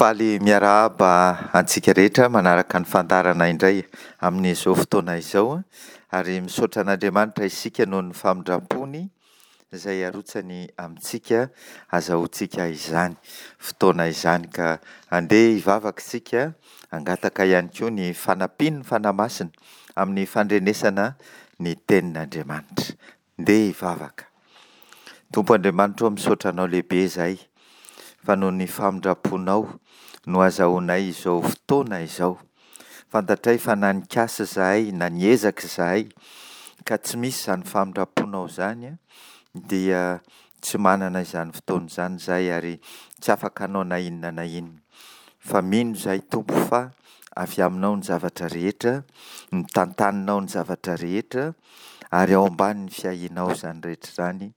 Faly miarahaba antsika rehetra manaraka ny fandaharana indray amin'izao fotoana izao ary misaotra an'Andriamanitra isika noho ny famindrampony izay arotsany amintsika azahoantsika izany fotoana izany ka andeha hivavaka isika hangataka ihany koa ny fanampian'ny Fanahy Masina amin'ny fandrenesana ny tenin'Andriamanitra. Ndeha hivavaka. Tompo Andriamanitra ô misaotra anao lehibe izahay fa noho ny famindram-ponao no azahoanay izao fotoana izao. Fantatray fa na nikasa izahay na niezaka izahay ka tsy misy izany famindram-ponao izany dia tsy manana izany fotoana izany izahay ary tsy afaka hanao na inona na inona. Fa mino izahay Tompo fa avy aminao ny zavatra rehetra, ny tantaninao ny zavatra rehetra ary ao ambanin'ny fiahianao izany rehetra izany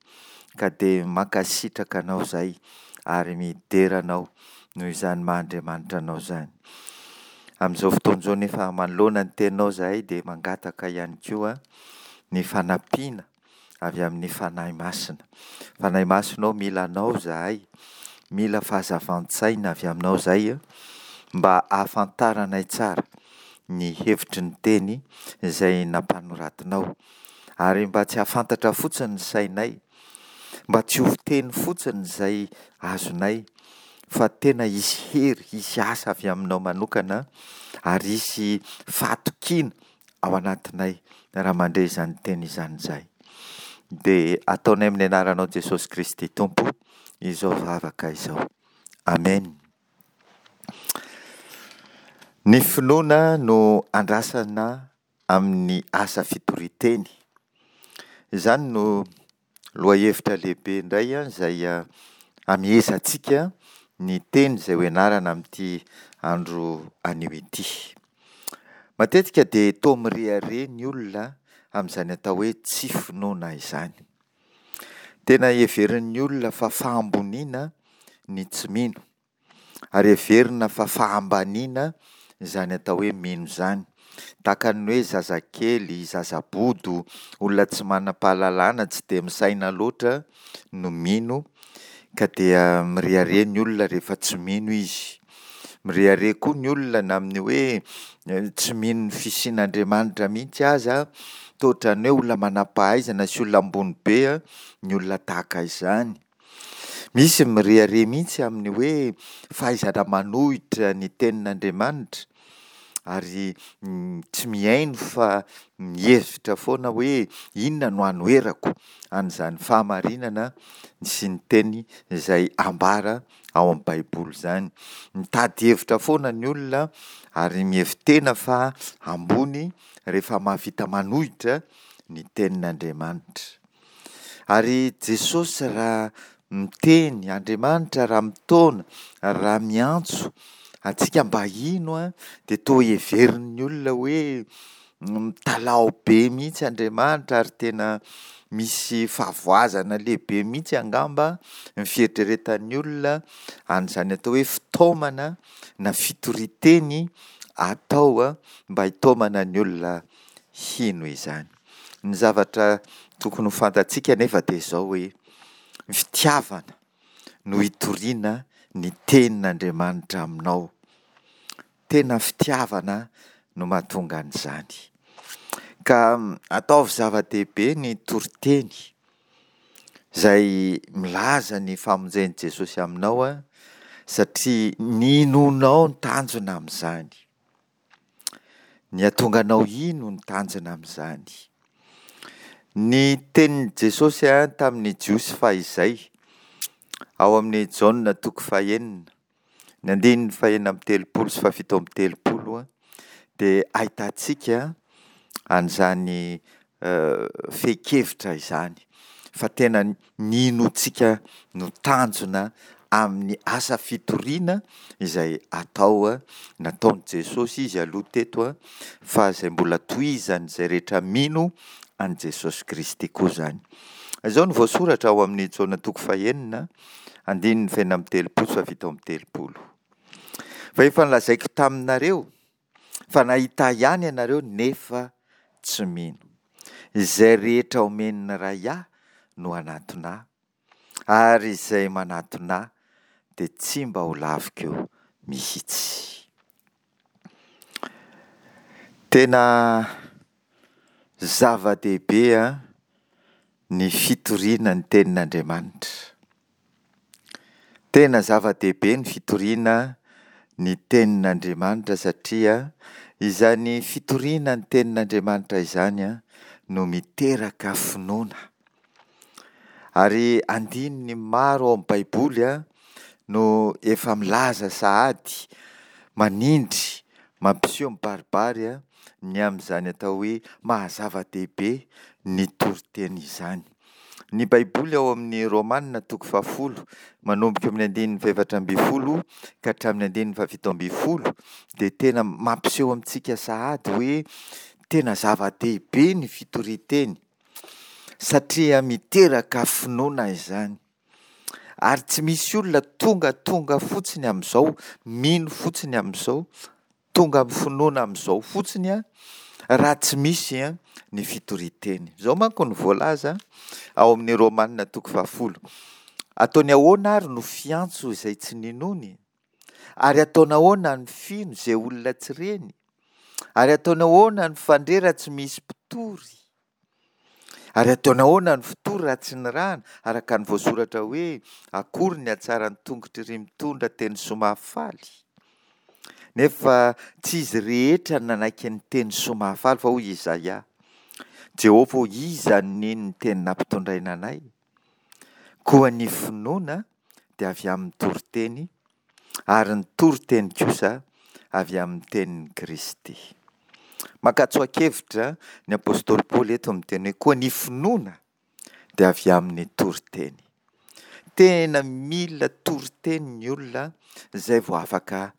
ka dia mankasitraka anao izahay ary midera anao noho izany maha Andriamanitra anao izany. Amin'izao fotoana izao nefa manoloana ny teninao izahay dia mangataka ihany koa ny fanampiana avy amin'ny Fanahy Masina. Fanahy Masina ô mila anao izahay, mila fahazavan-tsaina avy aminao izahay mba hahafantaranay tsara ny hevitry ny teny izay nampanoratinao ary mba tsy hahafantatra fotsiny ny sainay, mba tsy ho teny fotsiny izay azonay fa tena hisy hery, hisy asa avy aminao manokana ary hisy fahatokiana ao anatinay raha mandre izany teny izany izahay. Dia ataonay amin'ny anaranao Jesosy Kristy Tompo izao vavaka izao. Amen. Ny finoana no andrasana amin'ny asa fitorian-teny. Izany no lohahevitra lehibe indray izay hamehezantsika ny teny izay ho ianarana amin'ity andro anio ity. Matetika dia toa mirehareha ny olona amin'izany atao hoe tsy finoana izany. Tena heverin'ny olona fa fahamboniana ny tsy mino. Ary heverina fa fahambaniana izany atao hoe mino izany. Tahaka ny hoe zazakely, zazabodo, olona tsy manam-pahalalana, tsy dia misaina loatra no mino, ka dia mirehareha ny olona rehefa tsy mino izy. Mirehareha koa ny olona na amin'ny hoe tsy mino ny fisian'Andriamanitra mihitsy aza, toa ohatran'ny hoe olona manam-pahaizana sy olona ambony be ny olona tahaka izany. Misy mirehareha mihitsy amin'ny hoe fahaizana manohitra ny tenin'Andriamanitra ary tsy mihaino fa mihevitra foana hoe inona no hanoherako an'izany fahamarinana sy ny teny izay ambara ao amin'ny Baiboly izany. Mitady hevitra foana ny olona ary mihevi-tena fa ambony rehefa mahavita manohitra ny tenin'Andriamanitra. Ary Jesosy raha miteny, Andriamanitra raha mitaona, raha miantso antsika mba hino dia toa heverin'ny olona hoe mitalaho be mihitsy Andriamanitra ary tena misy fahavoazana lehibe mihitsy angamba ny fieritreretan'ny olona an'izany atao hoe fitaomana na fitorian-teny atao mba hitaomana ny olona hino izany. Ny zavatra tokony ho fantatsika anefa dia izao hoe, ny fitiavana no hitoriana ny tenin'Andriamanitra aminao. Tena fitiavana no mahatonga an'izany. Ka ataovy zava-dehibe ny toriteny izay milaza ny famonjen'i Jesosy aminao satria ny inoanao ny tanjona amin'izany. Ny hahatonga anao hino ny tanjona amin'izany. Ny tenin'i Jesosy tamin'ny Jiosy fahizay, ao amin'ny Jaona toko fahenina, ny andininy fahenina amby telopolo sy fahafito amby telopolo, dia ahitantsika an'izany fehin-kevitra izany, fa tena ny inoantsika no tanjona amin'ny asa fitoriana izay atao, nataon'i Jesosy izy aloha teto, fa izay mbola tohizan'izay rehetra mino an'i Jesosy Kristy koa izany. Izao no voasoratra ao amin'ny Jaona toko fahenina, andininy fahenina amby telopolo sy fahafito amby telopolo. Fa efa nolazaiko taminareo fa nahita ahy ihany ianareo nefa tsy mino. Izay rehetra omen'ny Ray ahy no hanatona ahy, ary izay manatona ahy dia tsy mba ho laviko mihitsy. Tena zava-dehibe ny fitoriana ny tenin'Andriamanitra. Tena zava-dehibe ny fitoriana ny tenin'Andriamanitra satria izany fitoriana ny tenin'Andriamanitra izany no miteraka finoana. Ary andininy maro ao amin'ny Baiboly no efa milaza sahady, manindry, mampiseho mibaribary ny amin'izany atao hoe maha-zava-dehibe ny toriteny izany. Ny Baiboly ao amin'ny Romana toko fahafolo, manomboka eo amin'ny andininy fahefatra ambin'ny folo ka hatramin'ny andininy fahafito ambin'ny folo dia tena mampiseho amintsika sahady hoe tena zava-dehibe ny fitorian-teny satria miteraka finoana izany. Ary tsy misy olona tongatonga fotsiny amin'izao, mino fotsiny amin'izao, tonga amin'ny finoana amin'izao fotsiny an, raha tsy misy ny fitorian-teny. Izao manko no voalaza ao amin'ny Romana toko fahafolo, Ataony ahoana ary no fiantso izay tsy ninoany? Ary ataony ahoana ny fino izay olona tsy reny? Ary ataony ahoana ny fandre raha tsy misy mpitory? Ary ataony ahoana ny fitory raha tsy nirahana, araka ny voasoratra hoe, Akory ny hatsaran'ny tongotr'iry mitondra teny soa mahafaly? Nefa tsy izy rehetra no nanaiky ny teny soa mahafaly, fa hoy Izaia, Jehovah ô, iza no nino ny teny nampitondraina anay? Koa ny finoana dia avy amin'ny toriteny, ary ny toriteny kosa avy amin'ny tenin'i Kristy. Maka tsoa-kevitra ny apostoly Paoly eto miteny hoe koa ny finoana dia avy amin'ny toriteny. Tena mila toriteny ny olona izay vao afaka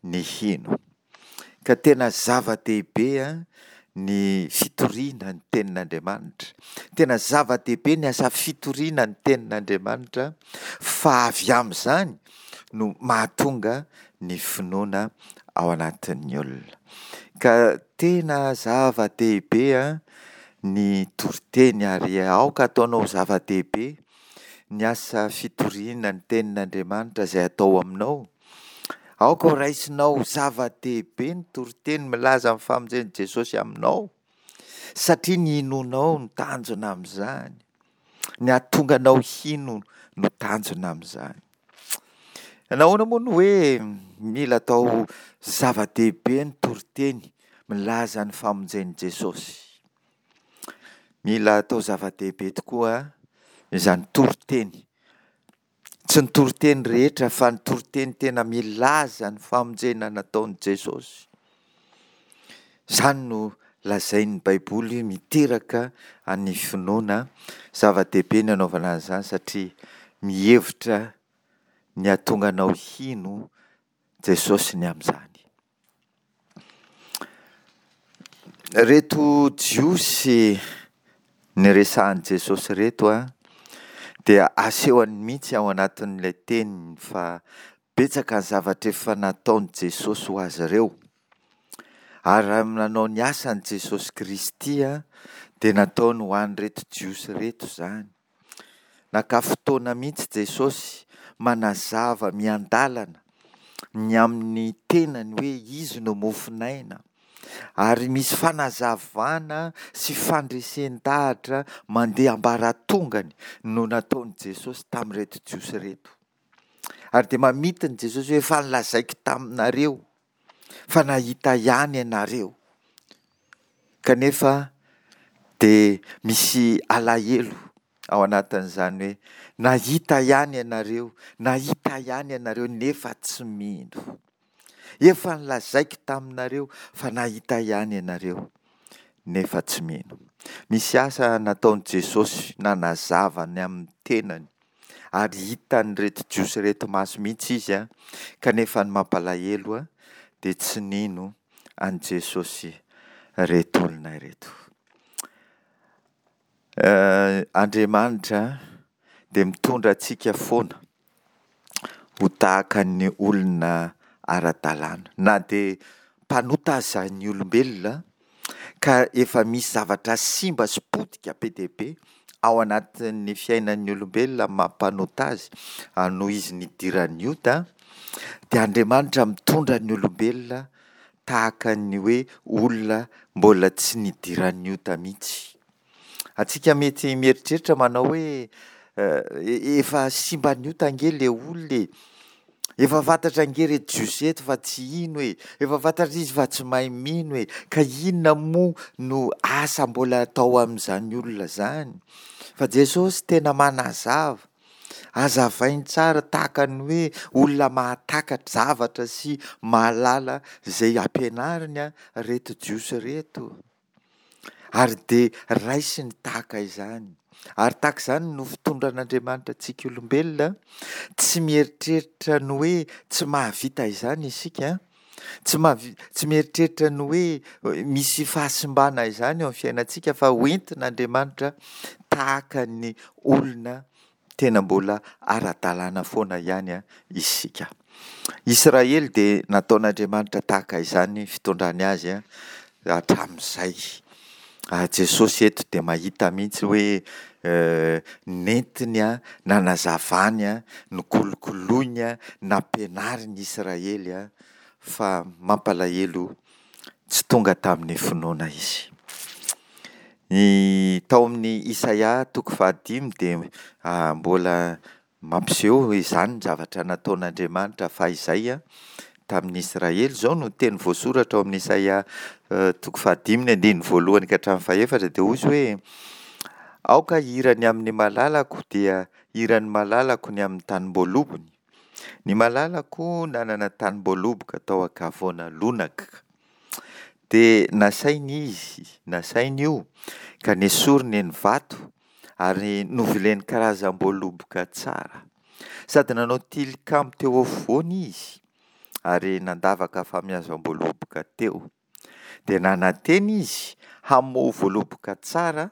ny hino. Ka tena zava-dehibe ny fitoriana ny tenin'Andriamanitra. Tena zava-dehibe ny asa fitoriana ny tenin'Andriamanitra fa avy amin'izany no mahatonga ny finoana ao anatin'ny olona. Ka tena zava-dehibe ny toriteny ary aoka ataonao zava-dehibe ny asa fitoriana ny tenin'Andriamanitra izay atao aminao. Aoka ho raisinao ho zava-dehibe ny toriteny milaza ny famonjen'i Jesosy aminao, satria ny hinoanao no tanjona amin'izany. Ny hahatonga anao hino no tanjona amin'izany. Nahoana moa no hoe mila atao zava-dehibe ny toriteny milaza ny famonjen'i Jesosy? Mila atao zava-dehibe tokoa izany toriteny. Tsy ny toriteny rehetra fa ny toriteny tena milaza ny famonjena nataon'i Jesosy. Izany no lazain'ny Baiboly miteraka ny finoana. Zava-dehibe ny anaovana an'izany satria mihevitra ny hahatonga anao hino Jesosy ny amin'izany. Ireto Jiosy niresahan'i Jesosy ireto dia asehony mihitsy ao anatin'ilay teniny fa betsaka ny zavatra efa nataon'i Jesosy ho azy ireo. Ary raha nanao ny asany Jesosy Kristy dia nataony ho an'ireto Jiosy ireto izany. Naka fotoana mihitsy Jesosy manazava miandalana ny amin'ny tenany hoe Izy no mofon'aina. Ary misy fanazavana sy fandresen-dahatra mandeha ambaratongany no nataon'i Jesosy tamin'ireto Jiosy ireto. Ary dia mamintina Jesosy hoe efa nolazaiko taminareo fa nahita ihany ianareo. Kanefa dia misy alahelo ao anatin'izany hoe nahita ihany ianareo, nahita ihany ianareo nefa tsy mino. Efa nolazaiko taminareo fa nahita ihany ianareo nefa tsy mino. Misy asa nataon'i Jesosy nanazava ny amin'ny tenany ary hitan'ireto Jiosy ireto maso mihitsy izy kanefa ny mampalahelo dia tsy nino an'i Jesosy ireto olona ireto. Andriamanitra dia mitondra antsika foana ho tahaka ny olona ara-dalàna. Na dia mpanota aza ny olombelona ka efa misy zavatra simba sy potika be dia be ao anatin'ny fiainan'ny olombelona amin'ny maha mpanota azy noho izy nidiran'ny ota, dia Andriamanitra mitondra ny olombelona tahaka ny hoe olona mbola tsy nidiran'ny ota mihitsy. Antsika mety mieritreritra manao hoe efa simban'ny ota ange le olona e! Efa fantatra ange re Jiosy eto fa tsy hino e! Efa fantatra izy fa tsy mahay mino e! Ka inona moa no asa mbola atao amin'izany olona izany? Fa Jesosy tena manazava, hazavainy tsara tahaka ny hoe olona mahatakatra zavatra sy mahalala izay ampianariny ireto Jiosy ireto. Ary dia raisiny tahaka izany. Ary tahaka izany no fitondran'Andriamanitra antsika olombelona, tsy mieritreritra ny hoe tsy mahavita izany isika, tsy mahavi-, tsy mieritreritra ny hoe misy fahasimbana izany eo amin'ny fiainantsika fa hoentin'Andriamanitra tahaka ny olona Tena mbola ara-dalàna foana ihany isika. Israely dia nataon'Andriamanitra tahaka izany fitondrany azy hatramin'izay. Ary Jesosy eto dia mahita mihitsy hoe nentiny, nanazavany, nokolokoloiny, nampianariny Israely fa mampalahelo tsy tonga tamin'ny finoana izy. Ny tao amin'ny Isaia toko fahadimy dia mbola mampiseho izany ny zavatra nataon'Andriamanitra fahizay tamin'ny Israely. Izao no teny voasoratra ao amin'ny Isaia toko fahadimy ny andininy voalohany ka hatramin'ny fahefatra dia hoy izy hoe, Aoka hihira ny amin'ny malalako dia hiran'ny malalako ny amin'ny tanim-boalobony. Ny malalako nanana tanim-boaloboka tao an-kavoana lonaka. Dia nasainy izy, nasainy io, ka nesoriny ny vato, ary novileny karazam-boaloboka tsara. Sady nanao tilikambo teo afovoany izy, ary nandavaka famiazam-boaloboka teo. Dia nanantena izy hamoa voaloboka tsara,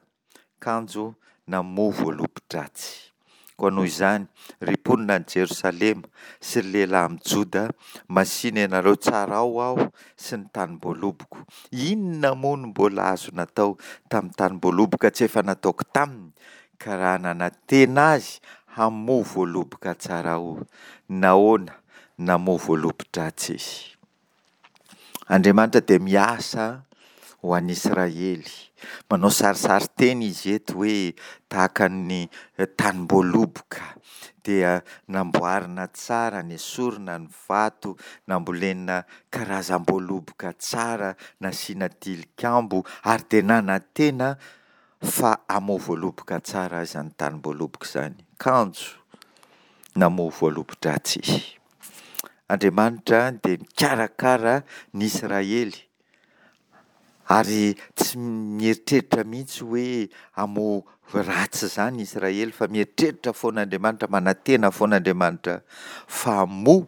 kanjo namoa voalobo-dratsy. Koa noho izany, ry mponina any Jerosalema sy ry lehilahy amin'i Joda, masìna ianareo, tsarao aho sy ny tanim-boaloboko. Inona moa no mbola azo natao tamin'ny tanim-boaloboka tsy efa nataoko taminy, ka raha nanantena azy hamoa voaloboka tsara aho, nahoana namoa voalobo-dratsy izy? Andriamanitra dia miasa ho an'i Israely. Manao sarisarin-teny izy eto hoe tahaka ny tanim-boaloboka dia namboarina tsara, nesorina ny vato, nambolena karazam-boaloboka tsara, nasiana tilikambo ary dia nanantena fa hamoa voaloboka tsara izany tanim-boaloboka izany. Kanjo namoa voalobo-dratsy izy. Andriamanitra dia mikarakara ny Israely ary tsy mieritreritra mihitsy hoe hamoa ratsy izany Israely fa mieritreritra foana Andriamanitra, manantena foana Andriamanitra fa hamoa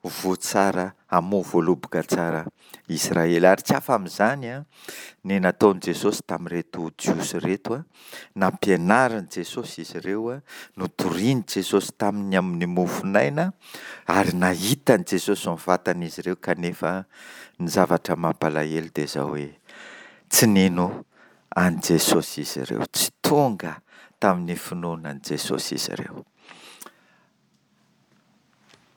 voa tsara, hamoa voaloboka tsara Israely. Ary tsy hafa amin'izany ny nataon'i Jesosy tamin'ireto Jiosy ireto. Nampianarin'i Jesosy izy ireo, notorian'i Jesosy taminy amin'ny mofon'aina, ary nahita an'i Jesosy ny vatan'izy ireo, kanefa ny zavatra mampalahelo dia izao hoe, tsy nino an'i Jesosy izy ireo, tsy tonga tamin'ny finoana an'i Jesosy izy ireo.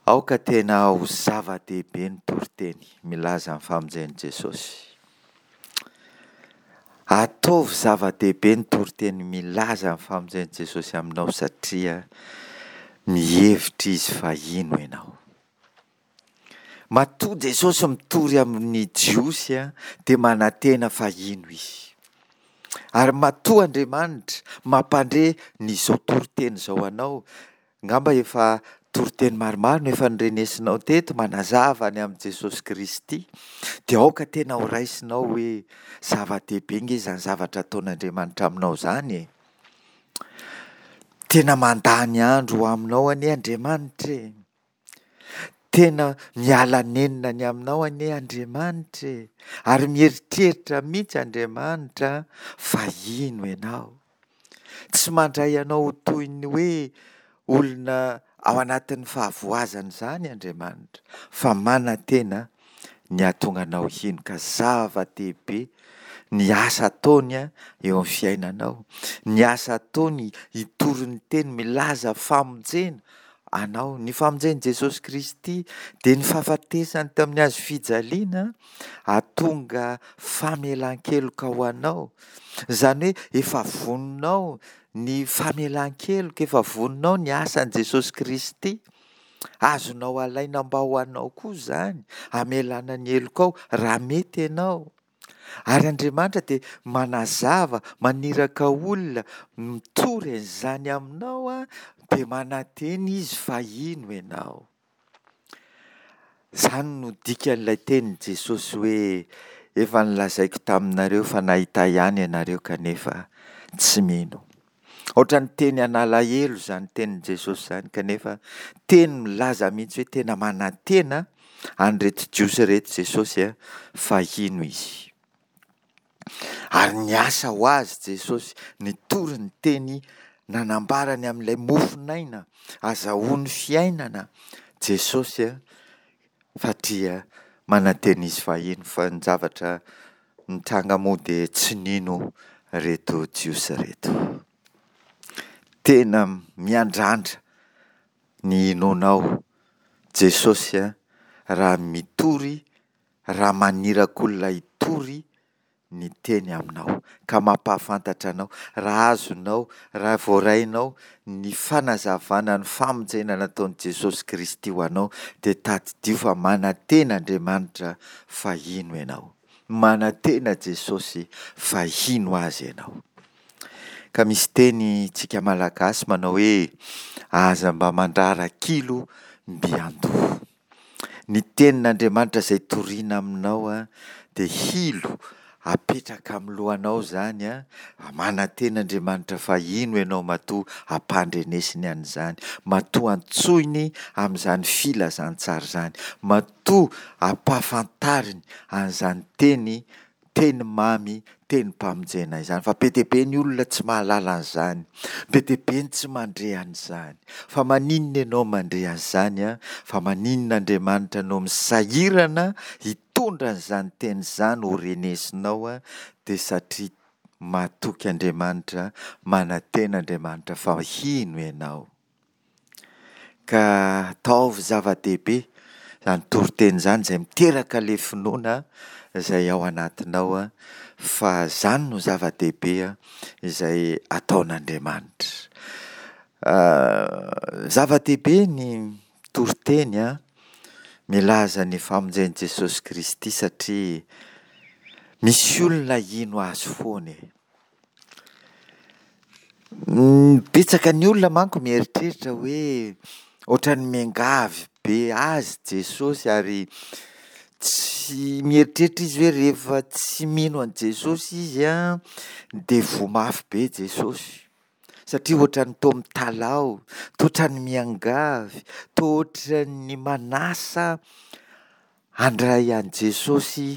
Aoka tena ho zava-dehibe ny toriteny milaza ny famonjen'i Jesosy. Ataovy zava-dehibe ny toriteny milaza ny famonjen'i Jesosy aminao satria mihevitra Izy fa hino ianao. Matoa Jesosy mitory amin'ny Jiosy dia manantena fa hino izy. Ary matoa Andriamanitra mampandre ny izao toriteny izao anao, angamba efa toriteny maromaro no efa norenesinao teto manazava ny amin'i Jesosy Kristy, dia aoka tena ho raisinao hoe zava-dehibe nge izany zavatra ataon'Andriamanitra aminao izany e! Tena mandany andro ho aminao anie Andriamanitra e! Tena miala nenina ny aminao anie Andriamanitra e! Ary mieritreritra mihitsy Andriamanitra fa hino ianao. Tsy mandray anao ho toy ny hoe olona ao anatin'ny fahavoazana izany Andriamanitra fa manantena ny hahatonga anao hino ka zava-dehibe ny asa ataony eo amin'ny fiainanao, ny asa ataony hitory ny teny milaza famonjena. anao. Ny famonjen'i Jesosy Kristy dia ny fahafatesany teo amin'ny hazo fijaliana hahatonga famelan-keloka ho anao. Izany hoe efa vonona ao ny famelan-keloka, efa vonona ao ny asan'i Jesosy Kristy. Azonao alaina mba ho anao koa izany, hamelana ny helokao raha mety ianao. Ary Andriamanitra dia manazava, maniraka olona mitory an'izany aminao, dia manantena Izy fa hino ianao. Izany no dikan'ilay tenin'i Jesosy hoe, Efa nolazaiko taminareo fa nahita ihany ianareo kanefa tsy mino. Ohatran'ny teny an'alahelo izany tenin'i Jesosy izany kanefa teny milaza mihitsy hoe tena manantena an'ireto Jiosy ireto Jesosy fa hino izy. Ary niasa ho azy Jesosy, nitory ny teny nanambara ny amin'ilay mofon'aina, azahoany fiainana Jesosy satria manantena izy fa hino fa ny zavatra nitranga moa dia tsy nino ireto Jiosy ireto. Tena miandrandra ny hinoanao Jesosy raha mitory, raha maniraka olona hitory ny teny aminao ka mampahafantatra anao raha azonao, raha voarainao ny fanazavana ny famonjena nataon'i Jesosy Kristy ho anao dia tadidio fa manantena Andriamanitra fa hino ianao. Manantena Jesosy fa hino Azy ianao. Ka misy teny tsika Malagasy manao hoe aza mba mandrara kilo mby an-doha. Ny tenin'Andriamanitra izay torina aminao dia hilo apetraka amin'ny lohanao izany, manantena Andriamanitra fa hino ianao matoa ampandrenesiny an'izany, matoa antsoiny amin'izany filazantsara izany, matoa ampahafantariny an'izany teny Teny mamy, tenim-pamonjena izany. Fa be dia be ny olona tsy mahalala an'izany. Be dia be ny tsy mandre an'izany. Fa maninona ianao mandre an'izany an? Fa maninona Andriamanitra no misahirana hitondra an'izany teny izany ho renesinao an? Dia satria matoky Andriamanitra, manantena Andriamanitra fa hino ianao. Ka ataovy zava-dehibe izany toriteny izany izay miteraka ilay finoana izay ao anatinao fa izany no zava-dehibe izay ataon'Andriamanitra. Zava-dehibe ny toriteny milaza ny famonjen'i Jesosy Kristy satria misy olona hino azy foana e. Betsaka ny olona manko mieritreritra hoe ohatran'ny miangavy be azy Jesosy ary tsy mieritreritra izy hoe rehefa tsy mino an'i Jesosy izy an, dia voa mafy be Jesosy. Satria ohatran'ny toa mitalaho, toa ohatran'ny miangavy, toa ohatran'ny manasa Handray an'i Jesosy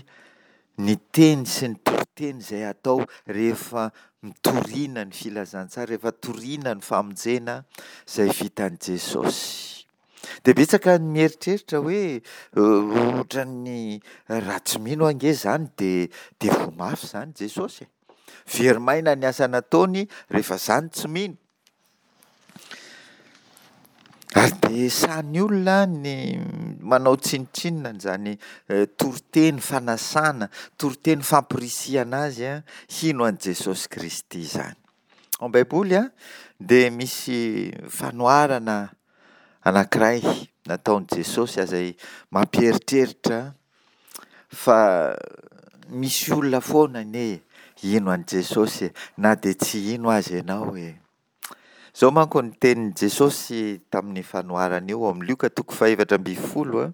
ny teny sy ny toriteny izay atao rehefa mitoriana ny filazantsara, rehefa toriana ny famonjena izay vitan'i Jesosy. Dia betsaka ny mieritreritra hoe ohatran'ny raha tsy mino ange izany dia dia voa mafy izany Jesosy e. Very maina ny asa nataony rehefa izany tsy mino. Ary dia sahy olona ny manao tsinontsinona an'izany toriteny fanasana, toriteny fampirisihana azy hino an'i Jesosy Kristy izany. Ao amin'ny Baiboly dia misy fanoharana anankiray nataon'i Jesosy izay mampieritreritra fa misy olona foana anie hino an'i Jesosy e, na dia tsy hino aza ianao e. Izao manko ny tenin'i Jesosy tamin'ny fanoharana io ao amin'ny Lioka toko fahefatra ambin'ny folo,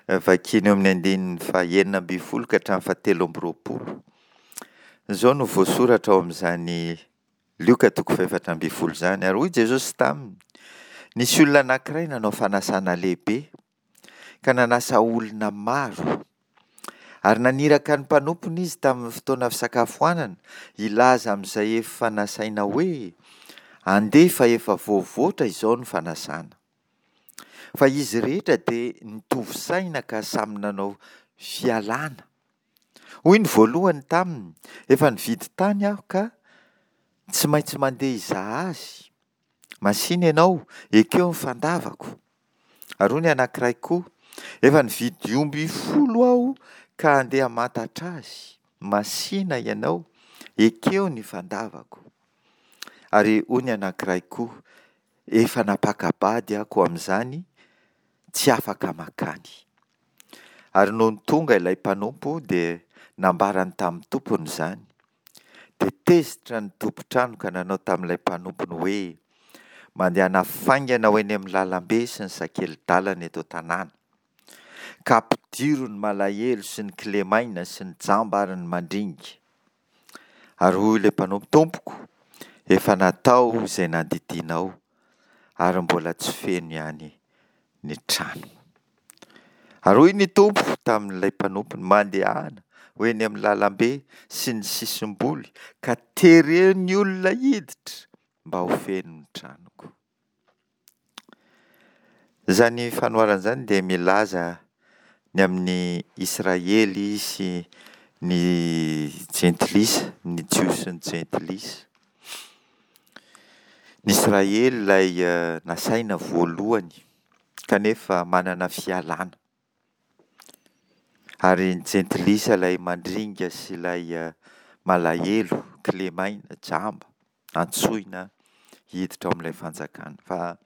vakina eo amin'ny andininy fahenina ambin'ny folo ka hatramin'ny fahatelo amby roapolo. Izao no voasoratra ao amin'izany Lioka toko fahefatra ambin'ny folo izany. Ary hoy Jesosy taminy, Nisy olona anankiray nanao fanasana lehibe, ka nanasa olona maro. Ary naniraka ny mpanompony izy tamin'ny fotoana fisakafoanana hilaza amin'izay efa nasaina hoe, Andeha fa efa voavoatra izao ny fanasana. Fa izy rehetra dia nitovy saina ka samy nanao fialana. Hoy ny voalohany taminy, Efa nividy tany aho ka tsy maintsy mandeha hizaha azy. Masìna ianao, ekeo ny fandavako. Ary hoy ny anankiray koa, Efa nividy omby folo aho ka handeha hamantatra azy. Masìna ianao, ekeo ny fandavako. Ary hoy ny anankiray koa, Efa nampaka-bady aho, koa amin'izany tsy afaka mankany. Ary nony tonga ilay mpanompo dia nambarany tamin'ny tompony izany. Dia tezitra ny tompon-trano ka nanao tamin'ilay mpanompony hoe, Mandehana faingana ho eny amin'ny lalambe sy ny sakeli-dalana eto an-tanàna, ka ampidiro ny malahelo sy ny kilemaina sy ny jamba ary ny mandringa. Ary hoy ilay mpanompo, Tompoko, efa natao izay nandidianao, ary mbola tsy feno ihany ny trano. Ary hoy ny Tompo tamin'ilay mpanompony, Mandehana ho eny amin'ny lalambe sy ny sisim-boly, ka tereo ny olona hiditra mba ho feno ny tranoko. Izany fanoharana izany dia milaza ny amin'ny Israely sy ny Jentilisa, ny Jiosy sy ny Jentilisa. Ny Israely ilay nasaina voalohany kanefa manana fialana. Ary ny Jentilisa ilay mandringa sy ilay malahelo, kilemaina, jamba, antsoina hiditra ao amin'ilay fanjakana. Fa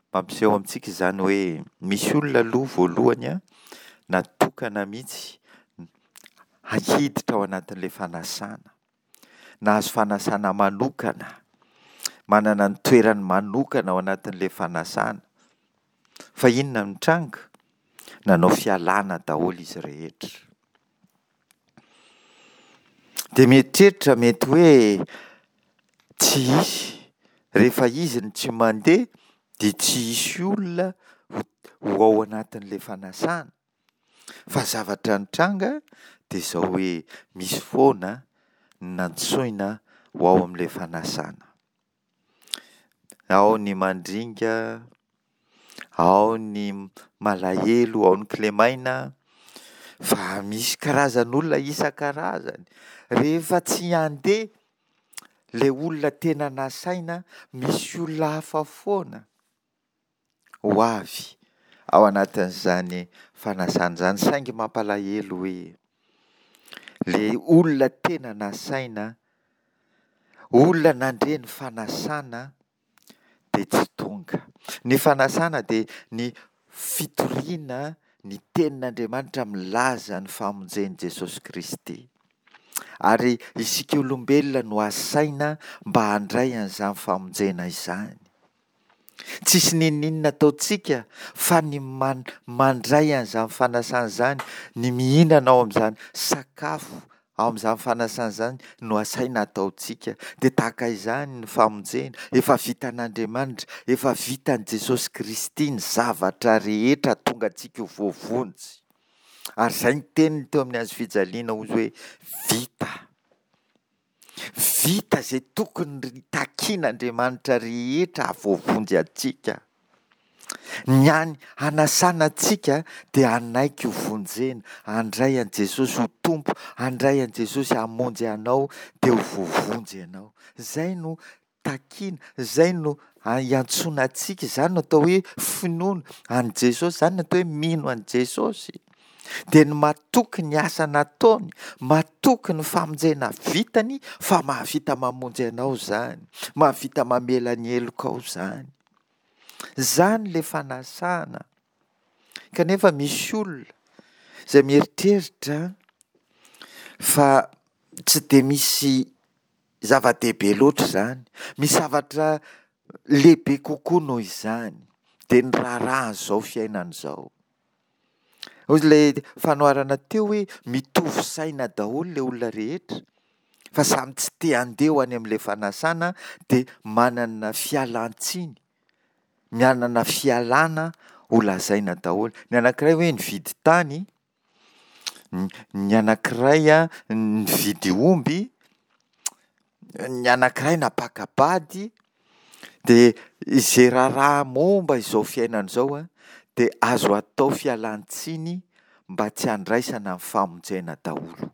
mampiseho amintsika izany hoe misy olona aloha voalohany natokana mihitsy hiditra ao anatin'ilay fanasana. Nahazo fanasana manokana, manana ny toerany manokana ao anatin'ilay fanasana. Fa inona no nitranga? Nanao fialana daholo izy rehetra. Dia mieritreritra mety hoe tsy hisy, rehefa izy no tsy mandeha dia tsy hisy olona ho ao anatin'ilay fanasana. Fa zavatra nitranga dia izao hoe misy foana ny nantsoina ho ao amin'ilay fanasana. Ao ny mandringa, ao ny malahelo, ao ny kilemaina, fa misy karazan'olona isan-karazany. Rehefa tsy handeha ilay olona tena nasaina, misy olona hafa foana ho avy ao anatin'izany fanasana izany. Saingy mampalahelo hoe ilay olona tena nasaina, olona nandre ny fanasana dia tsy tonga. Ny fanasana dia ny fitoriana ny tenin'Andriamanitra milaza ny famonjen'i Jesosy Kristy. Ary isika olombelona no asaina mba handray an'izany famonjena izany. Tsisy n'inon'inona ataontsika fa ny mandray an'izany fanasana izany, ny mihinana ao amin'izany sakafo ao amin'izany fanasana izany no asaina ataontsika. Dia tahaka izany ny famonjena, efa vitan'Andriamanitra, efa vitan'i Jesosy Kristy ny zavatra rehetra hahatonga antsika ho voavonjy. Ary izay ny teniny teo amin'ny hazo fijaliana hozy hoe vita. Vita izay tokony takian'Andriamanitra rehetra hahavoavonjy antsika. Ny hany hanasana antsika dia hanaiky ho vonjena, handray an'i Jesosy ho Tompo, handray an'i Jesosy hamonjy anao dia ho voavonjy ianao. Izay no takiana, izay no iantsoana antsika, izany no atao hoe finoana an'i Jesosy, izany no atao hoe mino an'i Jesosy. Dia ny matoky ny asa nataony, matoky ny famonjena vitany fa mahavita mamonjy anao izany, mahavita mamela ny helokao izany. Izany ilay fanasana. Kanefa misy olona izay mieritreritra fa tsy dia misy zava-dehibe loatra izany. Misy zavatra lehibe kokoa noho izany, dia ny raharahan'izao fiainana izao. Hoy ilay fanoharana teo hoe mitovy saina daholo ilay olona rehetra fa samy tsy te handeha ho any amin'ilay fanasana dia manana fialan-tsiny, manana fialana ho lazaina daholo. Ny anankiray hoe nividy tany, ny anankiray nividy omby, ny anankiray nampaka-bady, dia izay raharaha momba izao fiainana izao dia azo atao fialan-tsiny mba tsy handraisana ny famonjena daholo.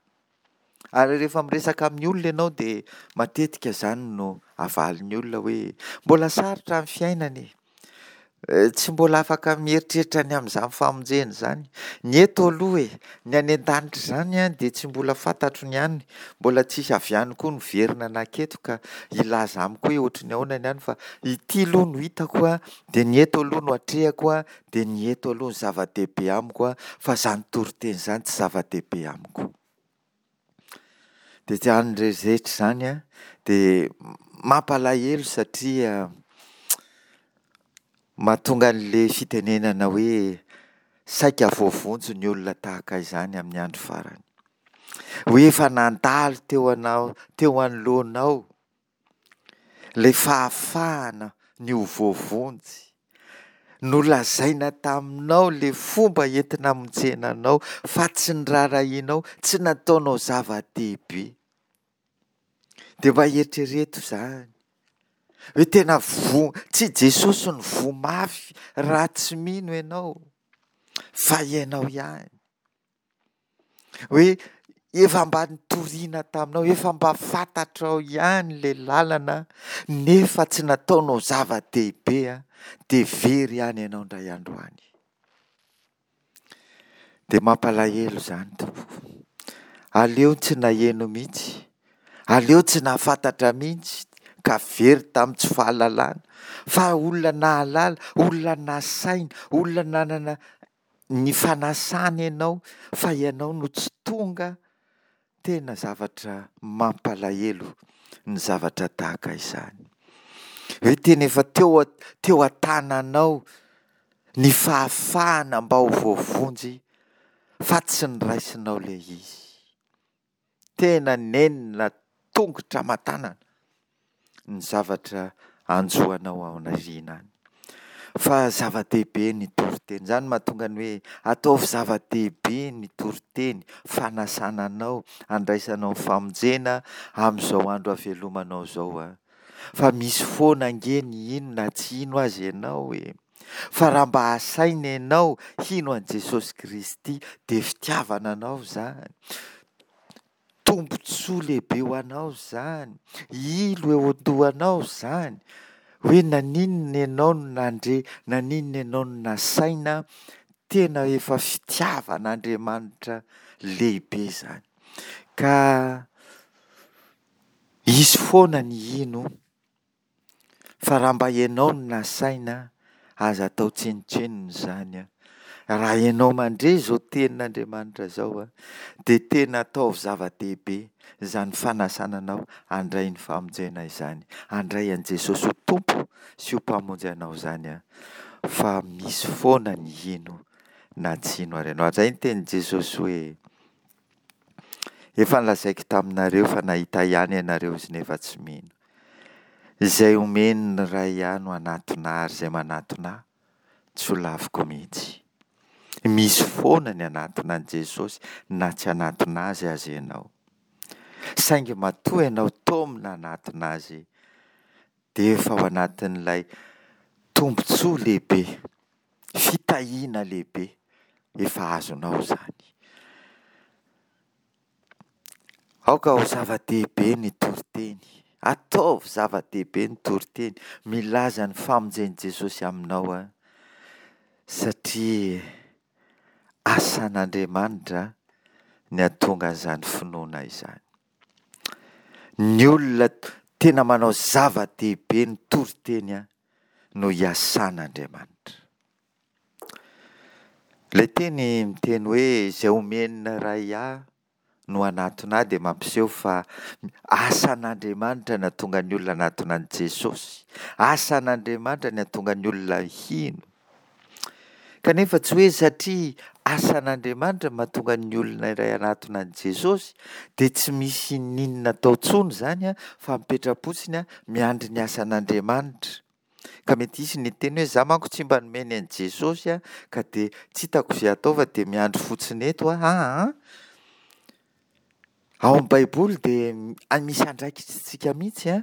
Ary rehefa miresaka amin'ny olona ianao dia matetika izany no avalin'ny olona hoe mbola sarotra ny fiainana e! Tsy mbola afaka mieritreritra ny amin'izany famonjena izany. Ny eto aloha e! Ny any an-danitra izany an, dia tsy mbola fantatro ny any, mbola tsisy avy any koa niverina nanketo ka hilaza amiko hoe ohatry ny ahoana ny any fa ity aloha no hitako an, dia ny eto aloha no atrehako an, dia ny eto aloha no zava-dehibe amiko an, fa izany toriteny izany tsy zava-dehibe amiko. Dia izany rehetra izany an, dia mampalahelo satria mahatonga an'ilay fitenenana hoe saika voavonjy ny olona tahaka izany amin'ny andro farany. Hoe efa nandalo teo anao, teo anoloanao Ilay fahafahana ny ho voavonjy. Nolazaina taminao ilay fomba entina hamonjena anao fa tsy niraharahianao, tsy nataonao zava-dehibe. Dia mba eritrereto izany hoe tena voa, tsy Jesosy no voa mafy raha tsy mino ianao fa ianao ihany. Hoe efa mba nitoriana taminao, efa mba fantatrao ihany ilay lalana nefa tsy nataonao zava-dehibe dia very ihany ianao indray andro any. Dia mampalahelo izany tompoko. Aleo tsy naheno mihitsy, aleo tsy nahafantatra mihitsy ka very tamin'ny tsy fahalalana fa olona nahalala, olona nasaina, olona nanana ny fanasana ianao fa ianao no tsy tonga, tena zavatra mampalahelo ny zavatra tahaka izany. Hoe tena efa teo teo an-tananao ny fahafahana mba ho voavonjy fa tsy niraisinao ilay izy. Tena nenina tongotra aman-tanana ny zavatra hanjo anao ao aoriana any. Fa zava-dehibe ny toriteny. Izany no mahatonga ny hoe ataovy zava-dehibe ny toriteny, fanasana anao, handraisanao ny famonjena amin'izao andro havelomanao izao. Fa misy foana ange ny hino na tsy hino aza ianao e. Fa raha mba asaina ianao hino an'i Jesosy Kristy dia fitiavana anao izany. Tombontsoa lehibe ho anao izany, ilo eo an-dohanao izany, hoe naninona ianao no nandre, naninona ianao no nasaina, tena efa fitiavan'Andriamanitra lehibe izany. Ka hisy foana ny hino. Fa raha mba ianao no nasaina, aza atao tsinontsinona izany an. Raha ianao mandre izao tenin'Andriamanitra izao an, dia tena ataovy zava-dehibe izany fanasana anao handray ny famonjena izany, handray an'i Jesosy ho Tompo sy ho Mpamonjy anao izany an, fa misy foana ny hino na tsy hino ary ianao. Ary izay ny tenin'i Jesosy hoe, Efa nolazaiko taminareo fa nahita ihany ianareo izy nefa tsy mino. Izay omen'ny Ray ahy no hanatona ahy ary izay manatona ahy tsy ho laviko mihitsy. Misy foana ny hanatona an'i Jesosy na tsy hanatona azy aza ianao. Saingy matoa ianao taomina hanatona azy dia efa ao anatin'ilay tombontsoa lehibe, fitahiana lehibe efa azonao izany. Aoka ho zava-dehibe ny toriteny. Ataovy zava-dehibe ny toriteny milaza ny famonjen'i Jesosy aminao aho, satria asan'Andriamanitra ny hahatonga an'izany finoana izany. Ny olona tena manao zava-dehibe ny toriteny no iasan'Andriamanitra. Ilay teny miteny hoe izay omen'ny Ray ahy no hanatona ahy dia mampiseho fa asan'Andriamanitra ny hahatonga ny olona hanatona an'i Jesosy. Asan'Andriamanitra ny hahatonga ny olona hino. Kanefa tsy hoe satria asan'Andriamanitra no mahatonga ny olona iray hanatona an'i Jesosy dia tsy misy n'inona atao intsony izany fa mipetra-potsiny miandry ny asan'Andriamanitra. Ka mety hisy ny hiteny hoe za manko tsy mba nomeny an'i Jesosy a, ka dia tsy hitako izay atao fa dia miandry fotsiny eto aho aa. Ao amin'ny baiboly dia misy andraikitsika mihitsy a,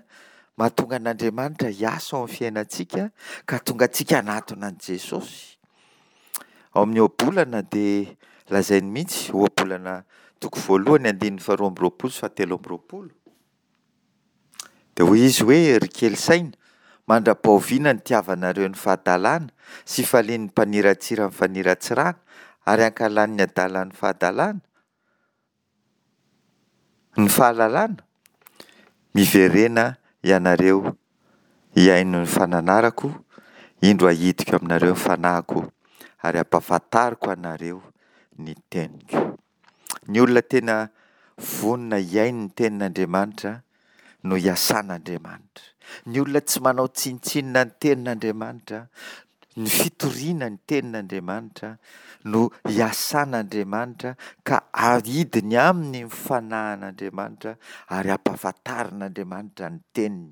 mahatonga an'Andriamanitra hiasa ao amin'ny fiainantsika ka hahatonga antsika hanatona an'i Jesosy. Ao amin'ny ohabolana dia lazainy mihitsy, ohabolana toko voalohany andininy faharoa amby roapolo sy fahatelo amby roapolo. Dia hoy izy hoe, Ry kely saina, mandra-pahoviana no hitiavanareo ny fahadalana sy hifalian'ny mpaniratsira ny faniratsirana ary hankahalan'ny adala ny fahadalana? Ny fahalalana? Miverena ianareo hihaino ny fananarako, indro ahidiko aminareo ny fanahiko ary hampahafantariko anareo ny teniko. Ny olona tena vonona hihaino ny tenin'Andriamanitra no iasan'Andriamanitra. Ny olona tsy manao tsinontsinona ny tenin'Andriamanitra, ny fitoriana ny tenin'Andriamanitra no iasan'Andriamanitra ka aidiny aminy ny fanahin'Andriamanitra ary ampahafantarin'Andriamanitra ny teniny.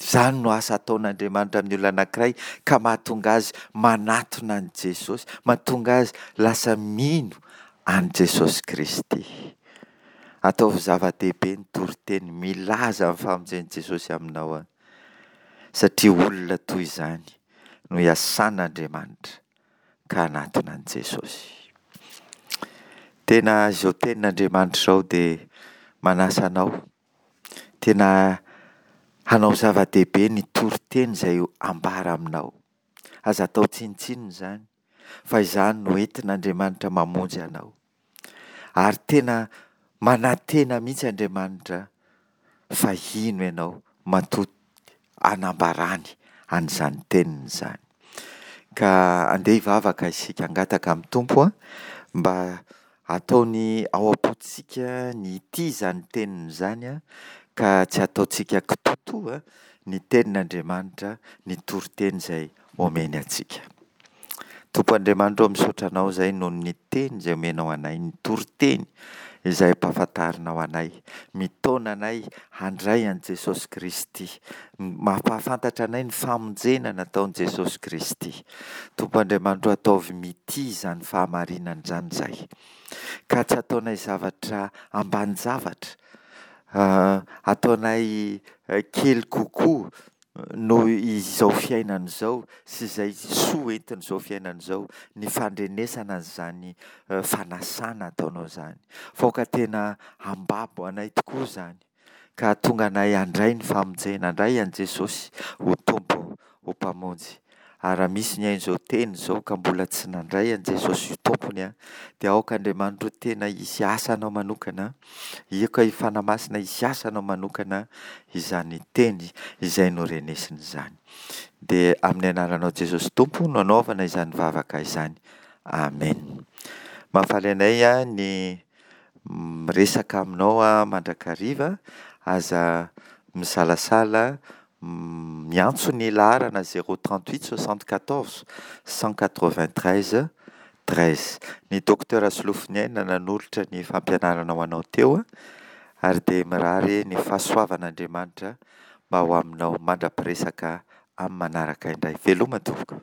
Izany no asa ataon'Andriamanitra amin'ny olona anankiray ka mahatonga azy manatona an'i Jesosy, mahatonga azy lasa mino an'i Jesosy Kristy. Ataovy zava-dehibe ny toriteny milaza ny famonjen'i Jesosy aminao satria olona toy izany no iasan'Andriamanitra ka hanatona an'i Jesosy. Tena izao tenin'Andriamanitra izao dia manasa anao tena hanao zava-dehibe ny toriteny izay ambara aminao. Aza atao tsinontsinona izany fa izany no entin'Andriamanitra mamonjy anao. Ary tena manantena mihitsy Andriamanitra fa hino ianao matoa anambarany an'izany teniny izany. Ka andeha hivavaka isika hangataka amin'ny Tompo mba hataony ao am-pontsika ny hitia izany teniny izany ka tsy hataontsika kitoatoa ny tenin'Andriamanitra, ny toriteny izay omeny antsika. Tompo Andriamanitra ô misaotra Anao izay noho ny teny izay omenao anay, ny toriteny izay ampahafantarinao anay, mitaona anay handray an'i Jesosy Kristy, mampahafantatra anay ny famonjena nataon'i Jesosy Kristy. Tompo Andriamanitra ô ataovy mitia izany fahamarinana izany izahay, ka tsy ataonay zavatra ambanin-javatra, ataonay kely kokoa noho izao fiainana izao sy izay soa entin'izao fiainana izao ny fandrenesana an'izany fanasana ataonao izany. Fa aoka tena hambabo anay tokoa izany ka hahatonga anay handray ny famonjena, handray an'i Jesosy ho Tompo, ho Mpamonjy. Ary raha misy nihaino izao teny izao ka mbola tsy nandray an'i Jesosy ho Tompony, dia aoka Andriamanitra ho tena hisy asanao manokana, aoka i Fanahy Masina hisy asanao manokana izany teny izay norenesina izany. Dia amin'ny anaranao Jesosy Tompo no anaovana izany vavaka izany. Amen. Mahafaly anay ny miresaka aminao mandrakariva. Aza misalasala miantso ny laharana 038 74 193 13. Ny Docteur Solofoniaina nanolotra ny fampianarana ho anao teo ary dia mirary ny fahasoavan'Andriamanitra mba ho aminao mandra-piresaka amin'ny manaraka indray. Veloma tompoko.